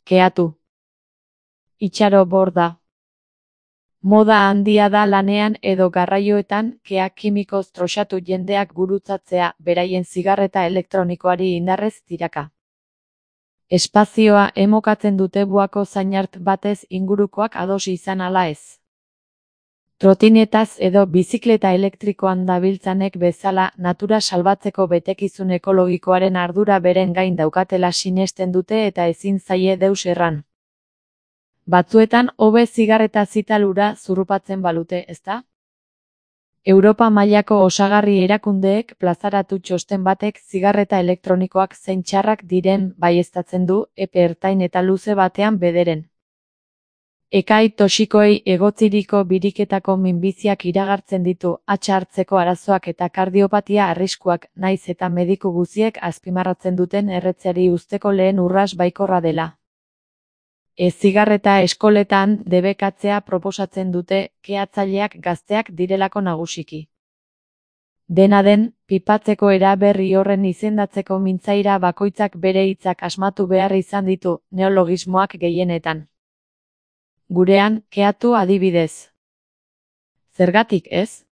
Keatu. Itxaro borda. Moda handia da lanean edo garraioetan kea kimikoz troxatu jendeak gurutzatzea beraien zigarreta elektronikoari indarrez tiraka. Espazioa emokatzen dute buako zainart batez ingurukoak ados izan ala ez. Trotinetaz edo bizikleta elektrikoan dabiltzanek bezala natura salbatzeko betekizun ekologikoaren ardura beren gain daukatela sinesten dute eta ezin zaie deus erran. Batzuetan hobe zigarreta zitalura zurrupatzen balute, ezta? Europa mailako osagarri erakundeek plazaratu txosten batek zigarreta elektronikoak zein txarrak diren baieztatzen du epe ertain eta luze batean bederen. Ekai toxikoei egotziriko biriketako minbiziak iragartzen ditu, hatxa hartzeko arazoak eta kardiopatia arriskuak, naiz eta mediku guziek azpimarratzen duten erretzeari uzteko lehen urras baikorra dela. Zigarreta eskoletan debekatzea proposatzen dute, keatzaileak gazteak direlako nagusiki. Dena den, pipatzeko eraberri horren izendatzeko mintzaira bakoitzak bere hitzak asmatu behar izan ditu, neologismoak gehienetan. Gurean, keatu adibidez. Zergatik ez?